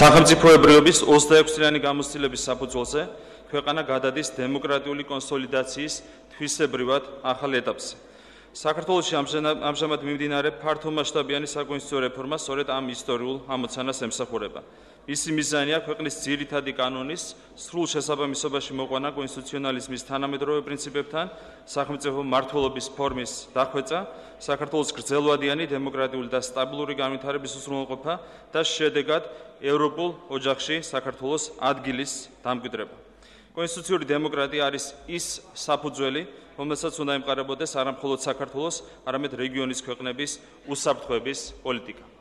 სახელმწიფოებრიობის 26-წლიანი გამოცდილების საფუძველზე ქვეყანა გადადის დემოკრატიული კონსოლიდაციის თვისებრივად ახალ ეტაპზე. საქართველოში ამჟამად მიმდინარე ფართომასშტაბიანი საკონსტიტუციო რეფორმა სწორედ ამ ისტორიულ ამოცანას ემსახურება. მისი მიზანია ქვეყნის ძირითადი კანონის სრულ შესაბამისობაში მოყვანა კონსტიტუციონალიზმის თანამედროვე პრინციპებთან, სახელმწიფო მმართველობის ფორმის დახვეწა, საქართველოს გრძელვადიანი დემოკრატიული და სტაბილური განვითარების უზრუნველყოფა და შედეგად ევროპულ ოჯახში საქართველოს ადგილის დამკვიდრება. კონსტიტუციური დემოკრატია არის ის საფუძველი, რომელსაც უნდა ემყარებოდეს არა მხოლოდ საქართველოს, არამედ რეგიონის ქვეყნების უსაფრთხოების პოლიტიკა.